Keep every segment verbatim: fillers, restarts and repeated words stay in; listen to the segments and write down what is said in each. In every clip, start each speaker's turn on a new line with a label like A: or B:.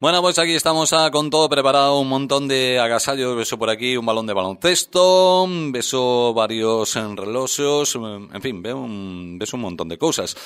A: Bueno, pues aquí estamos ah, con todo preparado, un montón de agasallos, beso por aquí, un balón de baloncesto, beso varios reloxos, en fin, veo un, beso un montón de cosas.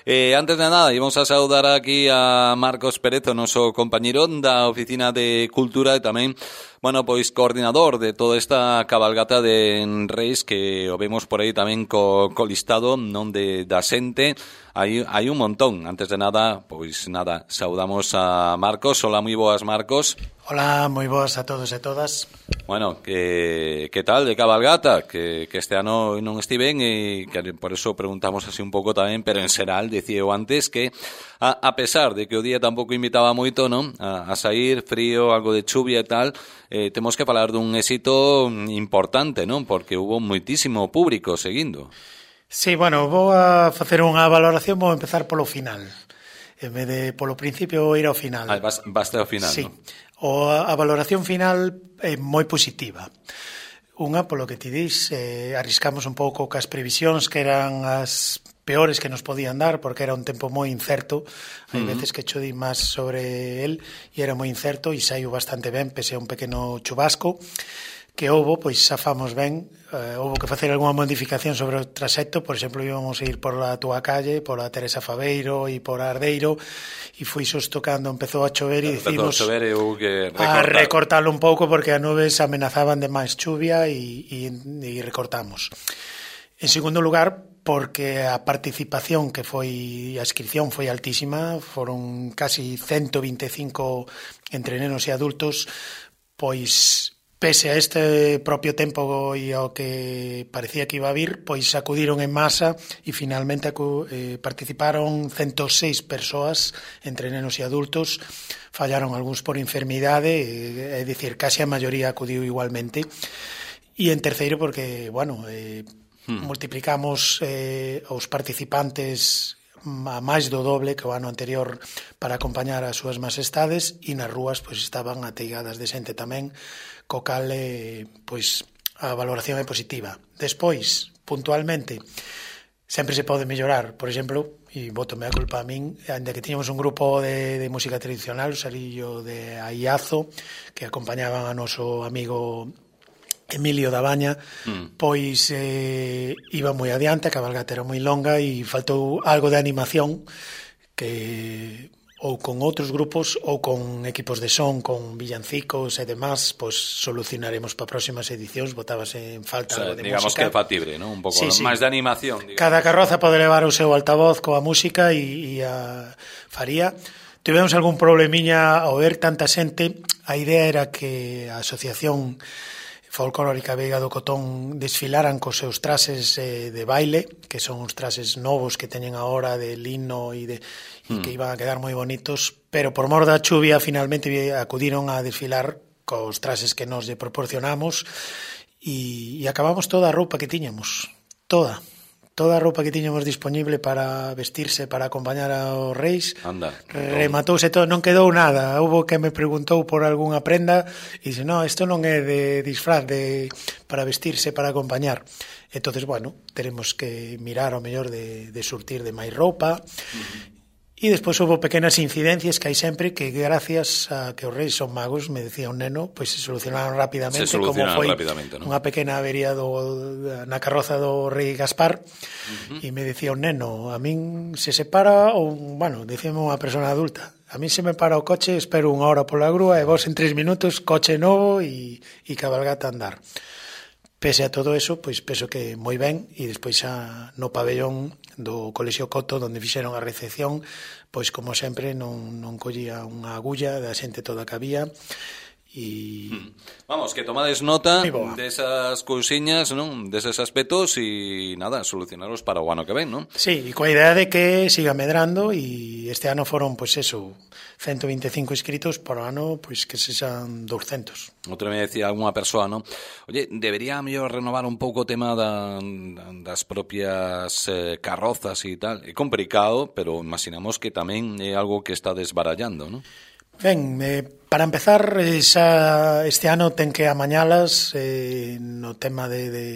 A: Eh, antes de nada, íbamos a saudar aquí a Marcos Pérez, o noso compañero da Oficina de Cultura e tamén, bueno, pois coordinador de toda esta cabalgata de Reis que o vemos por aí tamén co, co listado non de da xente. Hai, hai un montón. Antes de nada, pois nada, saudamos a Marcos. Hola, moi boas, Marcos.
B: Hola, moi boas a todos e todas.
A: Bueno, que, que tal de cabalgata? Que, que este ano non estiven e que por eso preguntamos así un pouco tamén, pero en xeral, dicía eu antes que a, a pesar de que o día tampouco invitaba moito, non? A, a sair, frío, algo de chuvia e tal, eh, temos que falar dun éxito importante, non? Porque hubo moitísimo público seguindo.
B: Sí, bueno, vou a facer unha valoración, vou empezar polo final. En vez de polo principio, vou ir ao final.
A: Ah, vas, vas ao final,
B: sí.
A: non?
B: O, a valoración final é moi positiva. Unha, polo que ti dis, eh, arriscamos un pouco cas previsións que eran as peores que nos podían dar, porque era un tempo moi incerto. Hai uh-huh. veces que cho di máis sobre el e era moi incerto e saiu bastante ben, pese a un pequeno chubasco que houbo, pois xafamos ben. Uh, houbo que facer algunha modificación sobre o traxecto, por exemplo, íbamos a ir por a túa calle, por a Teresa Faveiro e por a Ardeiro, e foi xusto cando empezou a chover e dicimos
A: a, chover, eu que
B: a recortarlo un pouco porque as nubes amenazaban de máis chuvia e, e, e recortamos. En segundo lugar, porque a participación que foi, a inscripción foi altísima, foron casi ciento vinte e cinco entre nenos e adultos, pois pese a este propio tempo e ao que parecía que iba a vir, pois acudiron en masa e finalmente acu, eh, participaron ciento seis persoas entre nenos e adultos. Fallaron algúns por enfermidade, é dicir, case a maioría acudiu igualmente. E en terceiro porque, bueno, eh, hmm. multiplicamos eh, os participantes a máis do doble que o ano anterior para acompañar as súas majestades e nas rúas pois estaban ateigadas de xente tamén, co cal eh, pois a valoración é positiva. Despois, puntualmente, sempre se pode mellorar. Por exemplo, e bótome a culpa a min, ainda que tiñamos un grupo de, de música tradicional, o salillo de Aiazo, que acompañaban a noso amigo Emilio da Baña, mm. pois eh, iba moi adiante, a cabalgata era moi longa e faltou algo de animación que ou con outros grupos ou con equipos de son, con villancicos e demás, pois solucionaremos para próximas edicións, botábase en falta, o sea, algo de
A: digamos
B: música.
A: Que é factible, ¿no? Un pouco
B: sí, sí.
A: máis de animación. Digamos.
B: Cada carroza pode levar o seu altavoz coa música e, e a faría. Tivemos algún problemiña ao ver tanta xente. A idea era que a asociación folclórica Veiga do Cotón desfilaran cos seus traxes eh, de baile, que son uns traxes novos que teñen agora de lino e de e mm. que iban a quedar moi bonitos, pero por mor da chuvia finalmente acudiron a desfilar cos traxes que nos lle proporcionamos e, e acabamos toda a roupa que tiñamos, toda toda a roupa que tiñamos disponible para vestirse, para acompañar aos reis.
A: Anda,
B: rematouse todo, non quedou nada. Houbo que me preguntou por algunha prenda e dixe, no, isto non é de disfraz de, para vestirse, para acompañar. Entonces, bueno, teremos que mirar ao mellor de, de surtir de máis roupa. Uh-huh. E despois houve pequenas incidencias que hai sempre que gracias a que os reis son magos, me decía un neno, pois se solucionaron rapidamente,
A: se solucionaron
B: como foi
A: rapidamente, ¿no?
B: Unha pequena avería do, na carroza do rei Gaspar. Uh-huh. E me decía un neno, a min se separa, ou, bueno, dicíame unha persona adulta, a min se me para o coche, espero unha hora pola grúa e vos en tres minutos, coche novo e, e cabalgata a andar. Pese a todo eso, pois penso que moi ben, e despois xa no pabellón do Colexio Coto, onde fixeron a recepción, pois como sempre non, non collía unha agulla da xente toda que había. E...
A: Vamos, que tomades nota desas cousiñas, non? Deses aspectos e nada, solucionaros para o ano que ven, non?
B: Sí, e coa idea de que siga medrando e este ano foron, pois eso, ciento vinte e cinco inscritos, por ano, pois que sexan doscientos.
A: Outra me decía algunha persoa, non? Oye, debería mellor renovar un pouco o tema da, das propias eh, carrozas e tal. É complicado, pero imaginamos que tamén é algo que está desbarallando, non?
B: Ben, eh, para empezar, eh, xa este ano ten que amañalas eh, no tema de, de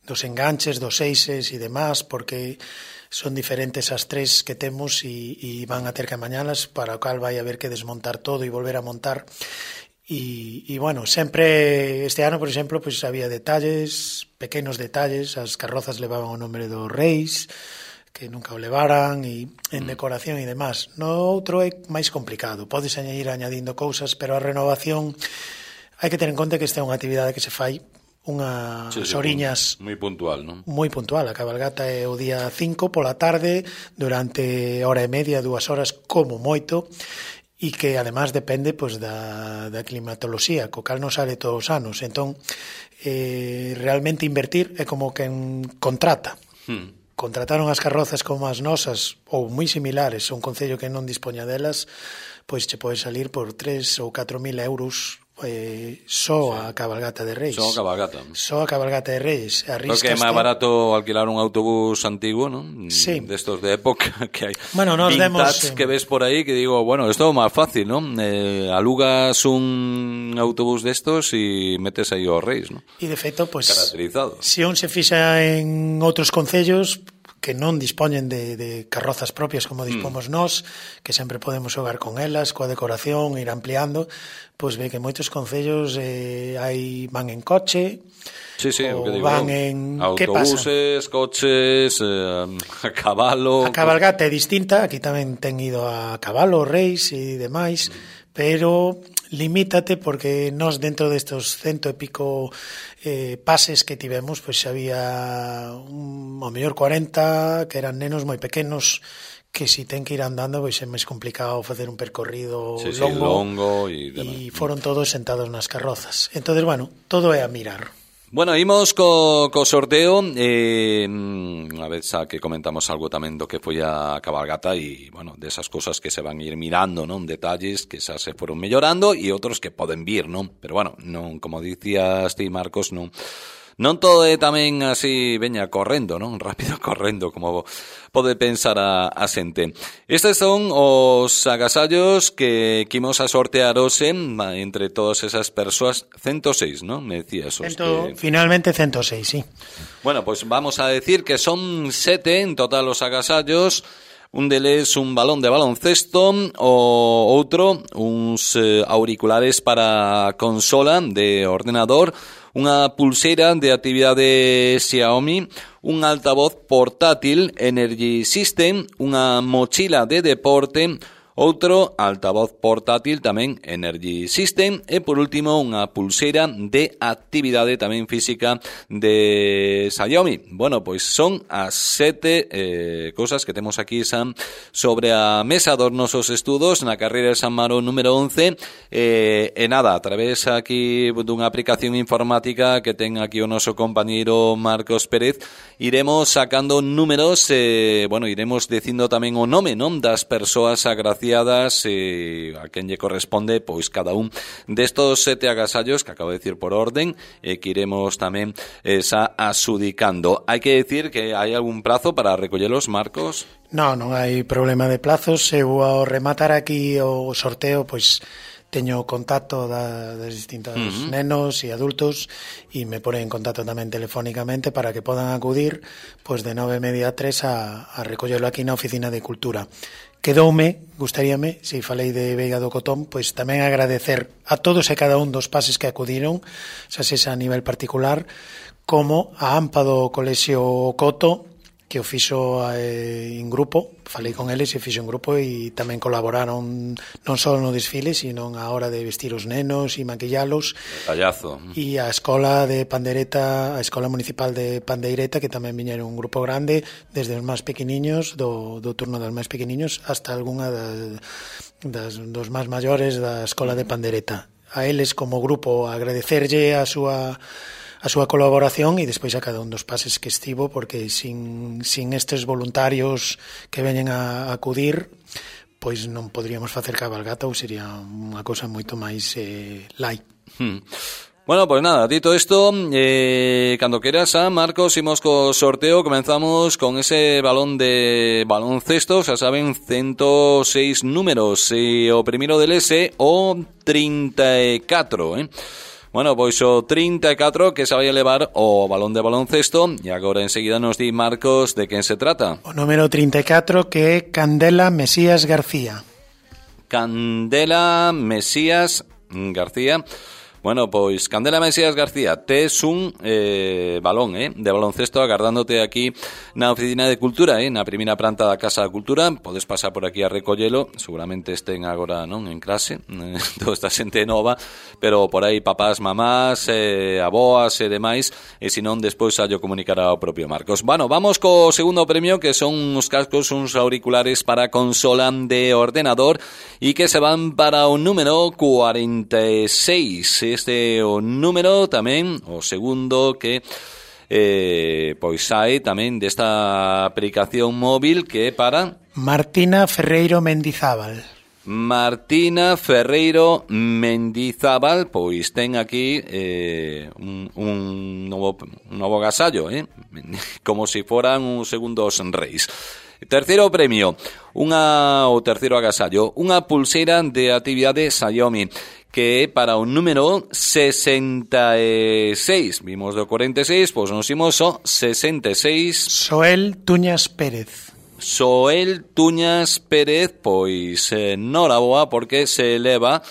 B: dos enganches, dos seixes e demás, porque son diferentes as tres que temos e, e van a ter que amañalas, para o cal vai haber que desmontar todo e volver a montar. E, e bueno, sempre este ano, por exemplo, pois había detalles, pequenos detalles, as carrozas levaban o nome dos reis, que nunca o levaran, e en decoración e demás. No outro é máis complicado, podes añadir añadindo cousas, pero a renovación hai que ter en conta que esta é unha actividade que se fai unhas
A: sí, sí,
B: oriñas
A: moi puntual, non?
B: Moi puntual, a cabalgata é o día cinco pola tarde, durante hora e media, dúas horas como moito, e que además depende pois, da, da climatoloxía, co cal non sale todos os anos. Entón, eh, realmente invertir é como quen contrata. Hmm. Contrataron as carrozas como as nosas, ou moi similares, un concello que non dispoña delas, pois che pode salir por tres ou catro mil euros eh, só sí. a cabalgata de Reis.
A: Só a cabalgata.
B: Só a cabalgata de Reis.
A: Creo que é máis barato alquilar un autobús antigo, ¿no?
B: Sí.
A: Destos de época que hai.
B: Bueno, nos
A: vintage
B: demos,
A: que ves por aí que digo, bueno, esto é máis fácil, ¿no? Eh, alugas un autobús destos e metes aí os Reis, ¿no?
B: E de feito, pues,
A: caracterizado.
B: Se un se fixa en outros concellos que non dispoñen de, de carrozas propias como dispomos mm. nós, que sempre podemos xogar con elas, coa decoración, ir ampliando, pois ve que moitos concellos eh, hai van en coche,
A: sí, sí, o que digo,
B: van en
A: autobuses, coches, eh, a cabalo.
B: A cabalgata é distinta, aquí tamén ten ido a cabalo, reis e demais, mm. pero limítate porque nós dentro destos cento e pico eh, pases que tivemos, pois había un, ao mellor cuarenta que eran nenos moi pequenos que si ten que ir andando pois é máis complicado facer un percorrido
A: sí,
B: longo,
A: sí, longo e,
B: e foron todos sentados nas carrozas. Entonces, bueno, todo é a mirar.
A: Bueno, imos co, co sorteo eh, a vez xa que comentamos algo tamén do que foi a cabalgata e, bueno, desas cousas que se van ir mirando, non? Detalles que xa se foron mellorando e outros que poden vir, non? Pero, bueno, non, como dicías ti, Marcos, non non todo é tamén así, veña, correndo, non? Rápido correndo, como pode pensar a, a xente. Estes son os agasallos que quimos a sortear hoxe entre todas esas persoas, ciento seis, non? Me decías os
B: Cento,
A: que...
B: Finalmente ciento seis, sí.
A: Bueno, pues vamos a decir que son sete en total os agasallos. Un deles un balón de baloncesto, o outro uns eh, auriculares para consola de ordenador, unha pulseira de actividade Xiaomi, un altavoz portátil Energy System, unha mochila de deporte, outro altavoz portátil tamén Energy System e por último unha pulseira de actividade tamén física de Xiaomi. Bueno, pois son as sete eh, cosas que temos aquí, Sam, sobre a mesa dos nosos estudos na carreira de San Maro número once eh, e nada, a través aquí dunha aplicación informática que ten aquí o noso compañeiro Marcos Pérez, iremos sacando números, eh, bueno, iremos dicindo tamén o nome, non, das persoas agraciadas eh, a quen lle corresponde pois cada un destos sete agasallos que acabo de decir por orden e eh, que iremos tamén esa eh, asudicando. Hai que decir que hai algún plazo para recollelos, Marcos?
B: Non, non hai problema de plazos. Eu ao rematar aquí o sorteo, pois teño contacto da, das distintos uh-huh. nenos e adultos e me ponen en contacto tamén telefónicamente para que podan acudir pois de nove e media a tres a, a recollelo aquí na Oficina de Cultura. Quedoume, gustaríame, se falei de Veiga do Cotón, pois tamén agradecer a todos e cada un dos pases que acudiron, xa sexa a nivel particular, como a AMPA do Colexio Coto, que o fixo eh, en grupo, falei con eles e fixo en grupo e tamén colaboraron non só no desfile, sino a hora de vestir os nenos e maquillalos.
A: Tallazo.
B: E a Escola de Pandeireta, a Escola Municipal de Pandeireta, que tamén viñeron un grupo grande, desde os máis pequeniños, do, do turno dos máis pequeniños, hasta algunha das, das, dos máis maiores da Escola de Pandeireta. A eles como grupo agradecerlle a súa a súa colaboración e despois a cada un dos pases que estivo, porque sin, sin estes voluntarios que veñen a, a acudir, pois non poderíamos facer cabalgata ou sería unha cousa moito máis eh, light.
A: Hmm. Bueno, pues nada, dito esto, eh, cando queras, a Marcos, imos co sorteo, comenzamos con ese balón de baloncesto, xa saben, ciento seis números, e o primeiro deles é o trinta e catro, eh? Bueno, pois o trinta e catro que se vai a levar o balón de baloncesto e agora enseguida nos di Marcos de quen se trata.
B: O número trinta e catro que é Candela Mesías García.
A: Candela Mesías García. Bueno, pois Candela Mesías García, tes un eh, balón eh, de baloncesto agardándote aquí na Oficina de Cultura, eh, na primeira planta da Casa da Cultura. Podes pasar por aquí a recollelo, seguramente estén agora non en clase, eh, toda esta xente nova, pero por aí papás, mamás, eh, aboas e demais, e se non despois a yo comunicará ao propio Marcos. Bueno, vamos co segundo premio, que son uns cascos, uns auriculares para consola de ordenador e que se van para o número cuarenta e seis. Este é o número tamén, o segundo que eh, pois sai tamén desta aplicación móvil que é para
B: Martina Ferreiro Mendizábal.
A: Martina Ferreiro Mendizábal, pois ten aquí eh, un, un, novo, un novo agasallo, eh? Como se si foran uns segundos reis. Terceiro premio, unha o terceiro agasallo, unha pulseira de actividade Xiaomi, que é para o número sesenta e seis. Vimos do cuarenta e seis, pois nos imos ao sesenta e seis.
B: Soel Tuñas Pérez.
A: Soel Tuñas Pérez, pois eh, noraboa porque se eleva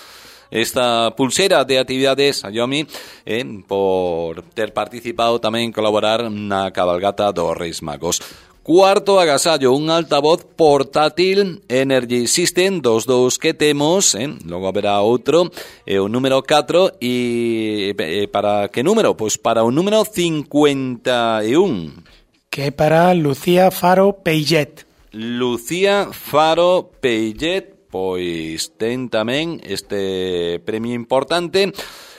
A: esta pulseira de actividades Xiaomi eh, por ter participado tamén colaborar na cabalgata dos Reis Magos. Cuarto agasallo, un altavoz portátil Energy System, dos dous que temos, eh? Logo haberá outro, e o número catro, e eh, para que número? Pois para o número cincuenta e un.
B: Que é para Lucía Faro Peillet.
A: Lucía Faro Peillet, pois ten tamén este premio importante,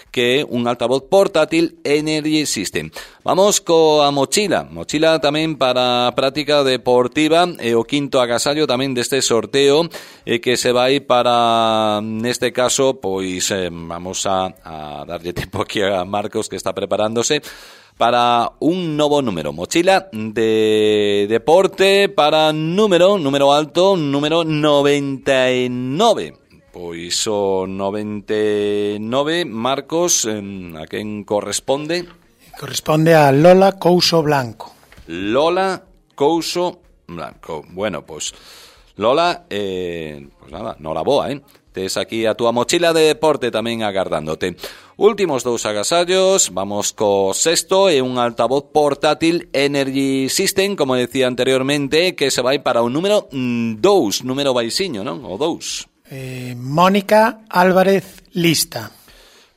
A: que é un altavoz portátil Energy System. Vamos coa mochila, mochila tamén para práctica deportiva, e o quinto agasallo tamén deste sorteo, e que se vai para, neste caso, pois eh, vamos a, a darlle tempo aquí a Marcos, que está preparándose, para un novo número, mochila de deporte para número, número alto, número noventa e nove. Pois o noventa e nove, Marcos, a quen corresponde?
B: Corresponde a Lola Couso Blanco.
A: Lola Couso Blanco. Bueno, pois Lola, eh, pues nada, noraboa, eh? Tes aquí a túa mochila de deporte tamén agardándote. Últimos dous agasallos, vamos co sexto, e un altavoz portátil Energy System, como decía anteriormente, que se vai para o número dous, número baixiño, non? O dous.
B: Eh, Mónica Álvarez Lista.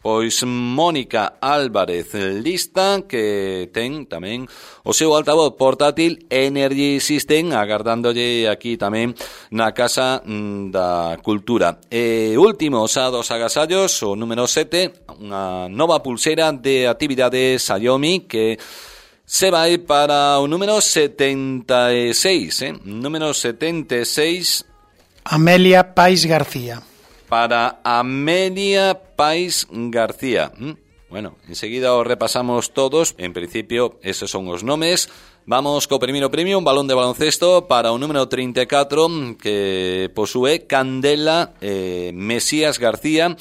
A: Pois Mónica Álvarez Lista, que ten tamén o seu altavoz portátil Energy System agardándolle aquí tamén na Casa da Cultura. E último, xa dos agasallos, o número sete, unha nova pulseira de actividades Xiaomi que se vai para o número setenta e seis, eh? Número setenta e seis.
B: Amelia Pais García.
A: Para Amelia Pais García. Bueno, enseguida os repasamos todos. En principio, esos son os nomes. Vamos co primeiro premio, un balón de baloncesto para o número trinta e catro, que posúe Candela eh, Mesías García.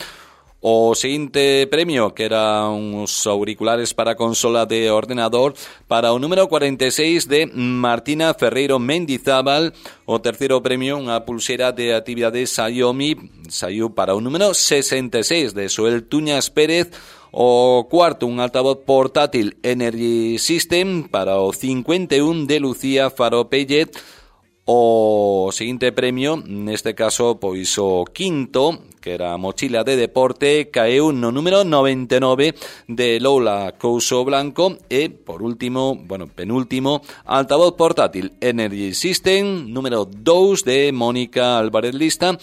A: O seguinte premio, que era uns auriculares para consola de ordenador, para o número cuarenta e seis de Martina Ferreiro Mendizábal. O terceiro premio, unha pulseira de actividades Xiaomi, saiu para o número sesenta e seis de Soel Tuñas Pérez. O cuarto, un altavoz portátil Energy System para o cincuenta e un de Lucía Faro Pellet. O seguinte premio, neste caso, pois o quinto, que era a mochila de deporte, caeu no número noventa e nove de Lola Couso Blanco. E, por último, bueno, penúltimo, altavoz portátil Energy System, número dous de Mónica Álvarez Lista.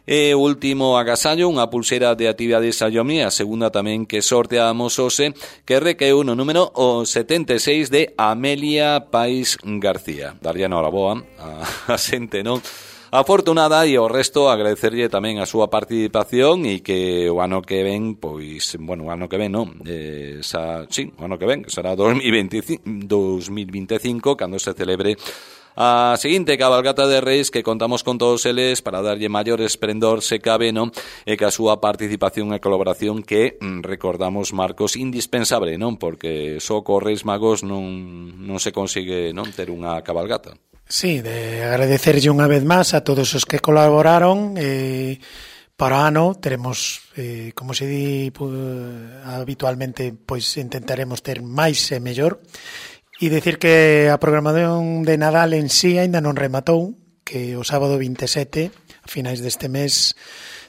A: E último agasallo, unha pulseira de actividades Xiaomi, a segunda tamén que sorteamos hoxe, que recaeu no número o setenta e seis de Amelia Pais García. Daría noraboa a, a xente, non? Afortunada, e o resto agradecerlle tamén a súa participación, e que o ano que ven, pois, bueno, o ano que ven, non? Eh, xa, sí, o ano que ven, será dos mil veinticinco, cando se celebre a seguinte cabalgata de Reis que contamos con todos eles para darlle maior esplendor se cabe, non? E que a súa participación e colaboración que, recordamos, Marcos, indispensable, non? Porque só co Reis Magos non, non se consigue, non, ter unha cabalgata.
B: Sí, de agradecerlle unha vez máis a todos os que colaboraron. eh, para o ano teremos, eh, como se di pues, habitualmente, pois intentaremos ter máis e mellor. E dicir que a programación de Nadal en sí aínda non rematou, que o sábado vinte e sete, a finais deste mes,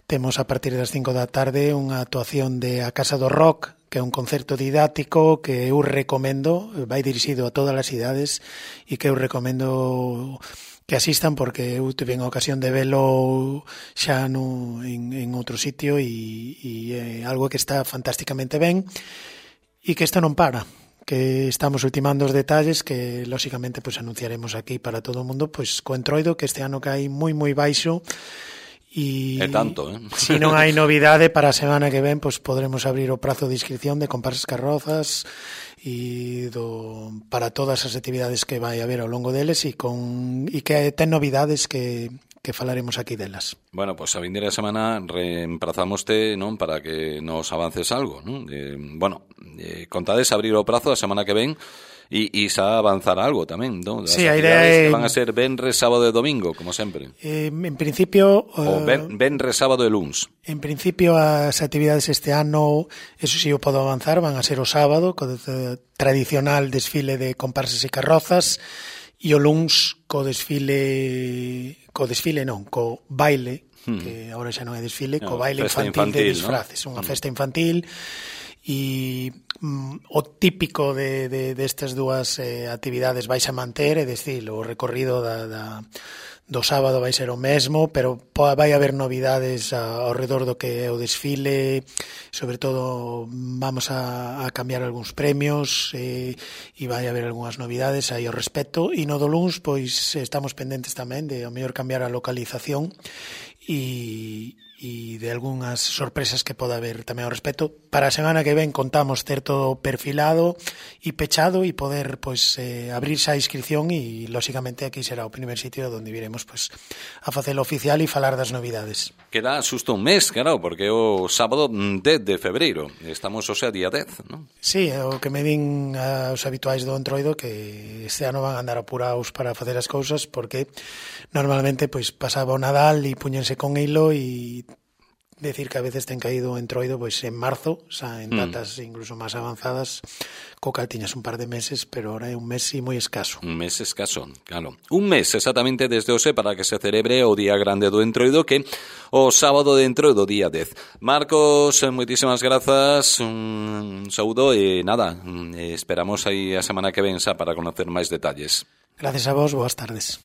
B: temos a partir das cinco da tarde unha actuación de A Casa do Rock, que é un concerto didáctico que eu recomendo, vai dirixido a todas as idades e que eu recomendo que asistan porque eu tive a ocasión de velo xa no, en, en outro sitio e, e é algo que está fantásticamente ben e que isto non para, que estamos ultimando os detalles que lóxicamente pues, anunciaremos aquí para todo o mundo, pois co Entroido, que este ano cae moi moi baixo e
A: é tanto, eh?
B: Se non hai novidade para a semana que ven, pois podremos abrir o prazo de inscripción de comparsas carrozas e do, para todas as actividades que vai haber ao longo deles e con e que ten novidades que que falaremos aquí delas.
A: Bueno, pois pues a vindeira semana reemprazamoste, non, para que nos avances algo, non? Eh, bueno, eh, contades abrir o prazo a semana que ven e, e xa avanzar algo tamén, non? As
B: sí, a idea é...
A: que van a ser venres, sábado e domingo, como sempre.
B: Eh, en principio...
A: O ben, venres, sábado e luns.
B: En principio as actividades este ano, eso sí o podo avanzar, van a ser o sábado, co tradicional desfile de comparsas e carrozas, e o luns co desfile co desfile non, co baile, hmm. que agora xa non é desfile, no, co baile infantil, infantil de disfraces, ¿no? Unha hmm. festa infantil e mm, o típico de, de, destas dúas eh, actividades vais a manter, é dicir, o recorrido da, da, do sábado vai ser o mesmo, pero vai haber novidades ao redor do que é o desfile, sobre todo vamos a, a cambiar algúns premios eh, e vai haber algunhas novidades aí ao respecto, e no do luns pois estamos pendentes tamén de ao mellor cambiar a localización e e de algunhas sorpresas que poda haber tamén ao respecto. Para a semana que ven contamos ter todo perfilado e pechado e poder pois eh, abrirse a inscripción e lóxicamente aquí será o primer sitio onde viremos pois a facelo oficial e falar das novidades.
A: Queda xusto un mes, claro, porque é o sábado dez de febreiro. Estamos, o sea, día dez, non?
B: Sí, o que me din os habituais do Entroido que este ano van a andar apurados para facer as cousas porque normalmente pois pasaba o Nadal e puñense con hilo e decir que a veces ten caído o Entroido pois en marzo, xa en datas mm. incluso máis avanzadas, co cal tiñas un par de meses, pero ahora é un mes e moi escaso.
A: Un mes escaso, claro. Un mes exactamente desde hoxe para que se celebre o Día Grande do Entroido, que o sábado de Entroido, día dez. Marcos, moitísimas grazas, un saúdo e nada, esperamos aí a semana que ven xa para conocer máis detalles.
B: Gracias a vos, boas tardes.